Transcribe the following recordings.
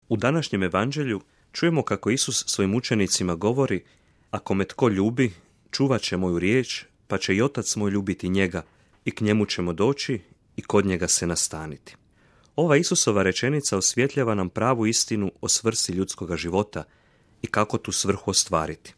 U današnjem evanđelju čujemo kako Isus svojim učenicima govori: ako me tko ljubi, čuvat će moju riječ, pa će i Otac moj ljubiti njega, i k njemu ćemo doći i kod njega se nastaniti. Ova Isusova rečenica osvjetljava nam pravu istinu o svrsi ljudskoga života i kako tu svrhu ostvariti.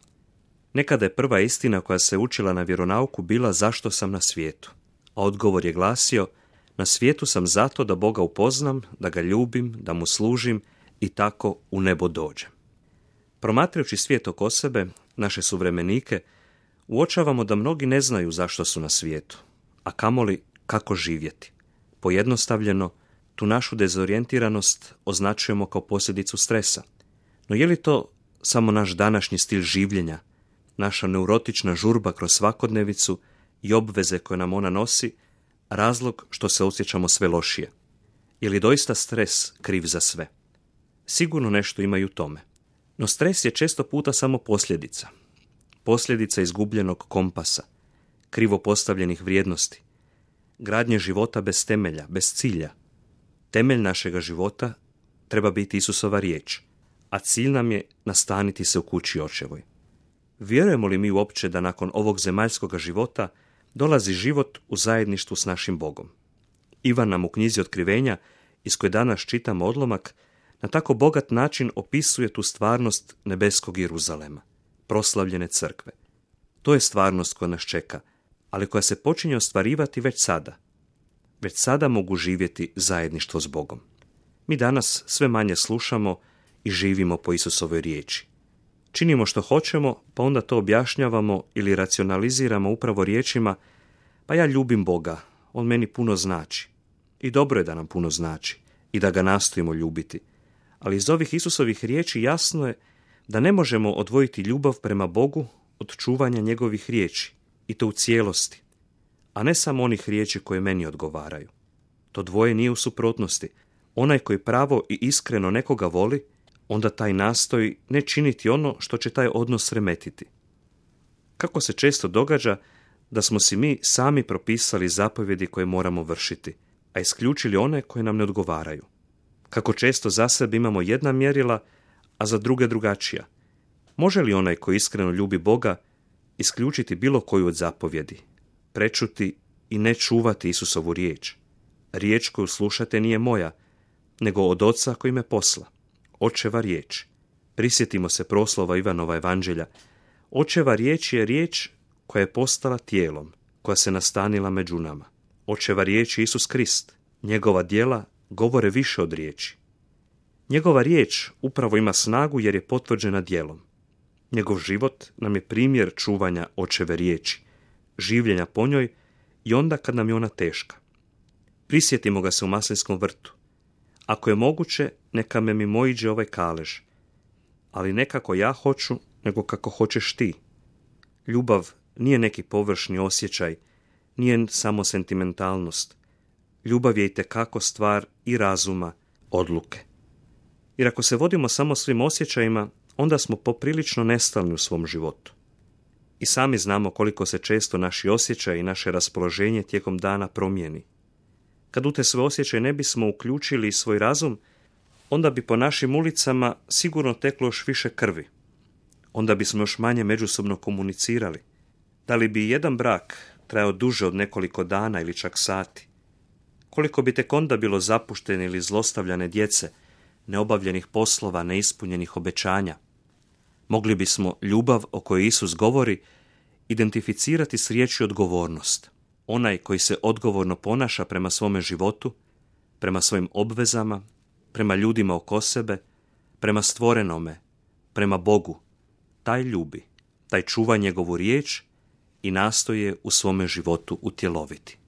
Nekada je prva istina koja se učila na vjeronauku bila zašto sam na svijetu, a odgovor je glasio: na svijetu sam zato da Boga upoznam, da ga ljubim, da mu služim i tako u nebo dođem. Promatrajući svijet oko sebe, naše suvremenike, uočavamo da mnogi ne znaju zašto su na svijetu, a kamoli kako živjeti. Pojednostavljeno, tu našu dezorijentiranost označujemo kao posljedicu stresa. No je li to samo naš današnji stil življenja, naša neurotična žurba kroz svakodnevicu i obveze koje nam ona nosi, razlog što se osjećamo sve lošije? Je li doista stres kriv za sve? Sigurno nešto ima i u tome. No stres je često puta samo posljedica. Posljedica izgubljenog kompasa, krivo postavljenih vrijednosti, gradnje života bez temelja, bez cilja. Temelj našega života treba biti Isusova riječ, a cilj nam je nastaniti se u kući Očevoj. Vjerujemo li mi uopće da nakon ovog zemaljskoga života dolazi život u zajedništvu s našim Bogom? Ivan nam u knjizi Otkrivenja, iz koje danas čitamo odlomak, na tako bogat način opisuje tu stvarnost nebeskog Jeruzalema, proslavljene crkve. To je stvarnost koja nas čeka, ali koja se počinje ostvarivati već sada. Već sada mogu živjeti zajedništvo s Bogom. Mi danas sve manje slušamo i živimo po Isusovoj riječi. Činimo što hoćemo, pa onda to objašnjavamo ili racionaliziramo upravo riječima: pa ja ljubim Boga, on meni puno znači. I dobro je da nam puno znači i da ga nastojimo ljubiti. Ali iz ovih Isusovih riječi jasno je da ne možemo odvojiti ljubav prema Bogu od čuvanja njegovih riječi, i to u cijelosti, a ne samo onih riječi koje meni odgovaraju. To dvoje nije u suprotnosti. Onaj koji pravo i iskreno nekoga voli, onda taj nastoji ne činiti ono što će taj odnos remetiti. Kako se često događa da smo si mi sami propisali zapovjedi koje moramo vršiti, a isključili one koje nam ne odgovaraju. Kako često za sebe imamo jedna mjerila, a za druge drugačija. Može li onaj koji iskreno ljubi Boga isključiti bilo koju od zapovjedi, prečuti i ne čuvati Isusovu riječ? Riječ koju slušate nije moja, nego od Oca koji me posla. Očeva riječ. Prisjetimo se proslova Ivanova evanđelja. Očeva riječ je riječ koja je postala tijelom, koja se nastanila među nama. Očeva riječ je Isus Krist. Njegova djela govore više od riječi. Njegova riječ upravo ima snagu jer je potvrđena djelom. Njegov život nam je primjer čuvanja Očeve riječi, življenja po njoj i onda kad nam je ona teška. Prisjetimo ga se u Maslinskom vrtu. Ako je moguće, neka me mimoiđe ovaj kalež, ali ne kako ja hoću, nego kako hoćeš ti. Ljubav nije neki površni osjećaj, nije samo sentimentalnost. Ljubav je itekako stvar i razuma, odluke. Jer ako se vodimo samo svim osjećajima, onda smo poprilično nestalni u svom životu. I sami znamo koliko se često naši osjećaji i naše raspoloženje tijekom dana promijeni. Kad u te sve osjećaje ne bismo uključili svoj razum, onda bi po našim ulicama sigurno teklo još više krvi. Onda bismo još manje međusobno komunicirali. Da li bi jedan brak trajao duže od nekoliko dana ili čak sati? Koliko bi tek onda bilo zapuštene ili zlostavljane djece, neobavljenih poslova, neispunjenih obećanja? Mogli bismo ljubav o kojoj Isus govori identificirati s riječju odgovornost. Onaj koji se odgovorno ponaša prema svome životu, prema svojim obvezama, prema ljudima oko sebe, prema stvorenome, prema Bogu, taj ljubi, taj čuva njegovu riječ i nastoje u svome životu utjeloviti.